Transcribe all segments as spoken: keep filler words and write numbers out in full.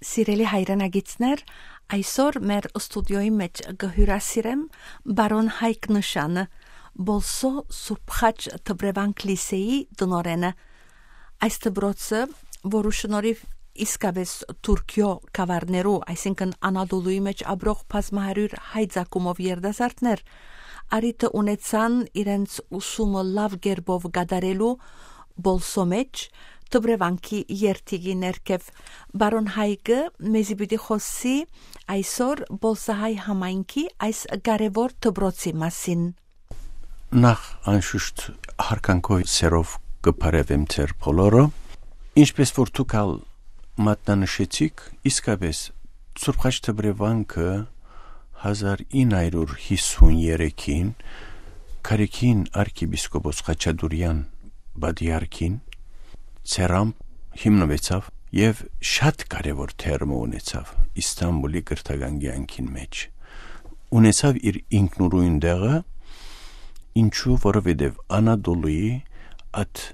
Սիրելի հայրենակիցներ, այսօր մեր ստուդիոյի մէջ կը հիւրասիրեմ պարոն Հայկ Նշանը, Պոլսոյ Սուրբ Խաչ Դպրեվանք լիսէի տնօրէնը։ Այս դպրոցը, որու շնորհիվ իսկապէս Թուրքիոյ գաւառներու, այսինքն՝ Անատոլուի մէջ ապրող բազմահարիւր հայ ծագումով երիտասարդներ առիթը ունեցան իրենց ուսումը լաւ կերպով կատարելու Պոլսոյ մէջ, Դպրեվանքի երթիքի ներքեւ։ Պարոն Հայկը մեզի պիտի խօսի այսօր Պոլսահայ համայնքի այս կարեւոր դպրոցի մասին։ Նախ, անշուշտ, յարգանքով, սերով կը բարեւեմ ձեր բոլորը։ Ինչպէս որ դուք ալ մատնանշեցիք, իսկապէս Սուրբ Խաչ Դպրեվանքը հազար ինը հարիւր յիսուն երեքին Գարեգին արքեպիսկոպոս Խաչատուրեան պատիարքին ձեռամբ հիմնուեցաւ եւ շատ կարեւոր դեր մը ունեցաւ Իսթանպուլի կրթական կեանքին մէջ։ Ունեցաւ իր ինքնուրույն տեղը, ինչու, որովհետեւ Անատոլուի այդ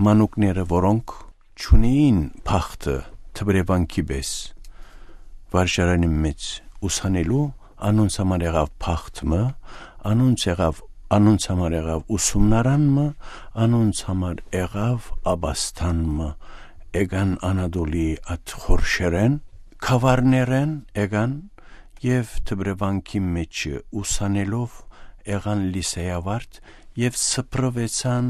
մանուկները, որոնք չունէին բախտը Դպրեվանքի պէս վարժարանին մէջ ուսանելու, անոնց համար եղաւ բախտ մը, անոնց եղաւ, անոնց համար եղաւ ուսումնարան մը, անոնց համար եղաւ ապաստան մը։ Եկան Անատոլի այդ խորշերէն, գաւառներէն եկան եւ Դպրեվանքի մէջ ուսանելով եղան լիսեյ աւարտ եւ սփռուեցան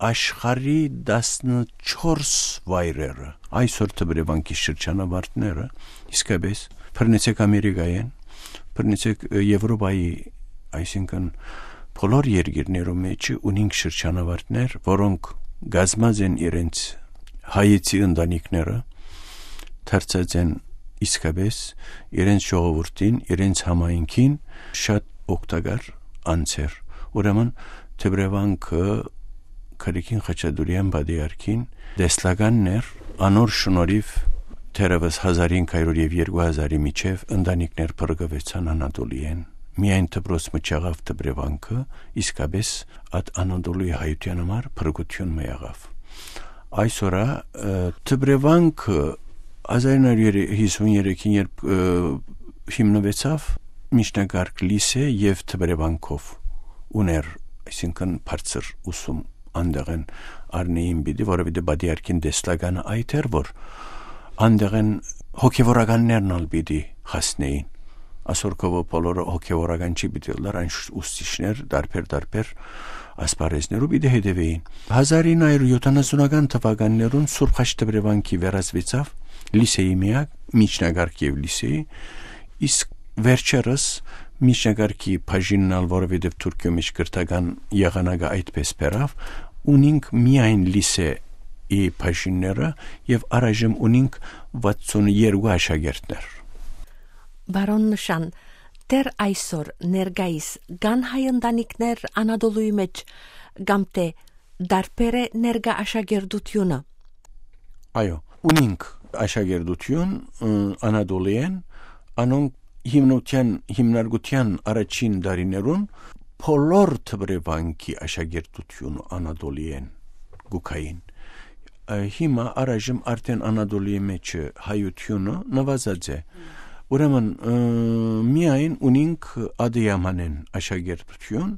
աշխարհի տասնչորս վայրերը։ Այսօր Դպրեվանքի շրջանավարտները իսկապէս բռնեցէք Ամերիկայէն, բռնեցէք, ը, Եվրոպայի, այսինքն՝ բոլոր երկիրներու մէջ ունինք շրջանավարտներ, որոնք կազմած են իրենց հայեցի ընտանիքները, դարձած են իսկապէս իրենց ժողովուրդին, իրենց համայնքին շատ օգտակար անձեր։ Ուրեմն Դպրեվանքը Գարեգին Խաչատուրեան պատիարքին տեսլականն էր, անոր շնորհիվ դեռեւս հազար ինը հարիւր եւ երկու հազարի միջեւ ընտանիքներ փրկուեցան Անատոլիէն։ Միայն դպրոց մը չեղաւ Դպրեվանքը, իսկապէս այդ Անատոլուի հայութեան համար փրկութիւն մը եղաւ։ Այսօր ա, ը, Դպրեվանքը հազար ինը հարիւր յիսուն երեքին, երբ, ը, հիմնուեցաւ, միջնակարգ լիսէ եւ Դպրեվանքով ունէր, այսինքն՝ բարձր ուսում անտեղէն առնէին պիտի, որովհետեւ պատիարքին տեսլականը այդ էր, որ անտեղէն հոգեվորականներն ալ պիտի հասնէին։ Ասոր քովը բոլորը հոգեվորական չի պիտի ըլլար, այն ուստիշներ տարբեր-տարբեր ասպարեզներու պիտի հետևէին։ Հազար ինը հարիւր յոթանասունական թվականներուն Սուրբ Խաչ Դպրեվանքի վերածուեցաւ լիսէի միակ, միջնակարգ եւ լիսէի, իսկ վերջերս միջնակարգի բաժինն ալ, որովհետեւ Թուրքիոյ մէջ կրթական եղանակը այդպես բերաւ, ունինք միայն լիսէի բաժինները եւ առայժմ ունինք վաթսուն երկու աշակերտներ։ Պարոն Նշան, դեռ այսօր ներկայիս կան հայ ընտանիքներ Անատոլուի մէջ, կամ թէ տարբեր է ներկայ աշակերտությունը։ Այո, ունինք աշակերտություն, ը, Անատոլիէն, անոնք հիմնության, հիմնարկության առաջին տարիներուն բոլոր Դպրեվանքի աշակերտությունը Անատոլիէն կու գային։ Ը, հիմա առայժմ արդէն Անատոլիի մէջ հայությունը նուազած է։ Ուրեմն, ը, միայն ունինք Ադիամանեն աշակերտություն,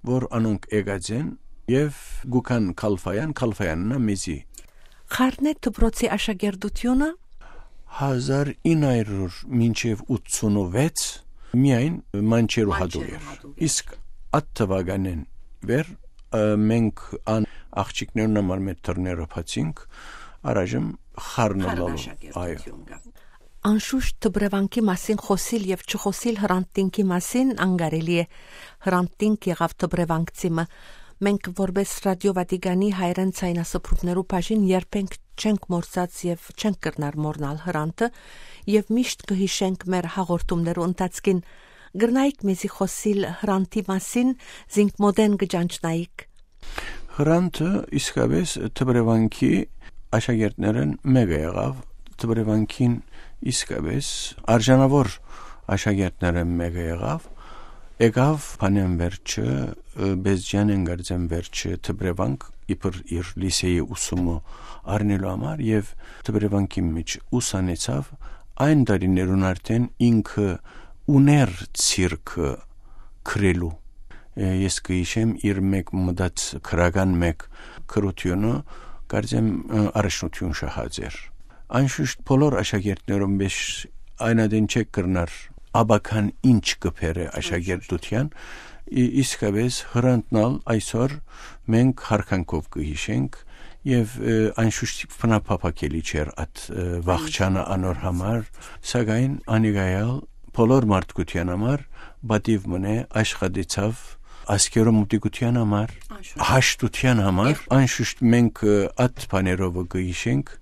որ անոնք եկած են եւ գուքան Քալֆայան, Քալֆայանն ա մեզի։ Խառն է դպրոցի աշակերտությունը։ Հազար ինը հարիւր մինչեւ ութսունվեց միայն Մանչերու Մանչերու հատուկ էր։ Հատուկ էր։ Իսկ այդ թվականէն վեր, ը, մենք ան աղջիկներուն համար մեր դռները բացինք, առայժմ խառնը Խառն լալու։ Այո։ Աշակերտություն կա։ Անշուշտ Դպրեվանքի մասին խօսիլ եւ չխօսիլ Հրանտինքի մասին անկարելի է։ Հրանտինք եղաւ դպրեվանքցի մը։ Մենք որպես Ռադիո Վատիկանի հայերեն ցայնասփռումներու բաժին երբենք չենք մոռցած եւ չենք կրնար մոռնալ Հրանտը, եւ միշտ կը յիշենք մեր հաղորդումներու ընթացքին։ Կրնայիք մեզի խօսիլ Հրանտի մասին, զինք մօտէն կը ճանչնայիք։ Հրանտը իսկապէս Դպրեվանքի աշակերտներէն մէկը եղաւ, Դպրեվանքին իսկապէս արժանաւոր աշակերտներէն մէկը եղաւ, եկաւ Փանեան վերջը, ը, Բեզջանեն գարձեն վերջը Դպրեվանք, իբր իր լիսէի ուսումը առնելու համար, եւ Դպրեվանքի մէջ ուսանեցաւ այն տարիներուն արդեն ինքը ունէր ցիրքը գրելու։ Ես կը յիշեմ իր մէկ մտած գրական մէկ գրութիւնը, կարծեմ, առաջնություն շահած էր։ Անշուշտ բոլոր աշակերտներուն մէջ այն ատեն չէ կրնար աբական ինչ կը բերէ աշակերտութեան, ի-, իսկապէս Հրանտն ալ այսօր մենք յարգանքով կը յիշենք, եւ անշուշտ բնափափակելի չէր այդ վախճանը անոր համար, սակայն անիկայալ բոլոր մարդկութեան համար պատիւ մնե, աշխատեցաւ ազգերու մտիկութեան համար, հաշտութեան համար։ Անշուշտ մենք այդ բաներով կը յիշենք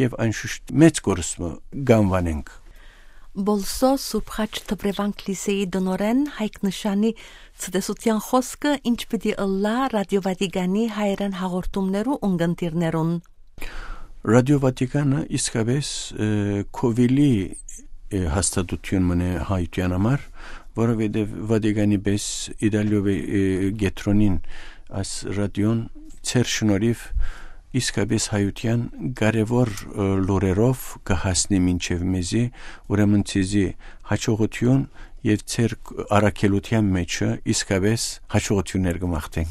եւ անշուշտ մեծ կորստ մը կ'անուանենք։ Բոլսոյ Սուրբ Խաչ Դպրեվանք լիսէի տնօրէն Հայկ Նշանի ցտեսութեան խօսքը ինչ պիտի ըլլայ Ռադիո Վատիկանի հայերէն հաղորդումներու ունկնդիրներուն։ Ռադիո Վատիկանը իսկապէս քովիլի հաստատութիւն մնէ հայութեան համար, որովհետեւ Վատիկանի պէս Իտալիովի կեդրոնին այս ռադիոն, ձեր շնորհիւ, իսկապէս հայութեան կարեւոր լուրերով կը հասնի մինչեւ մեզի, ուրեմն ձեզի հաջողութիւն եւ ձեր առաքելութեան մէջը իսկապէս հաջողութիւններ կը մաղթենք։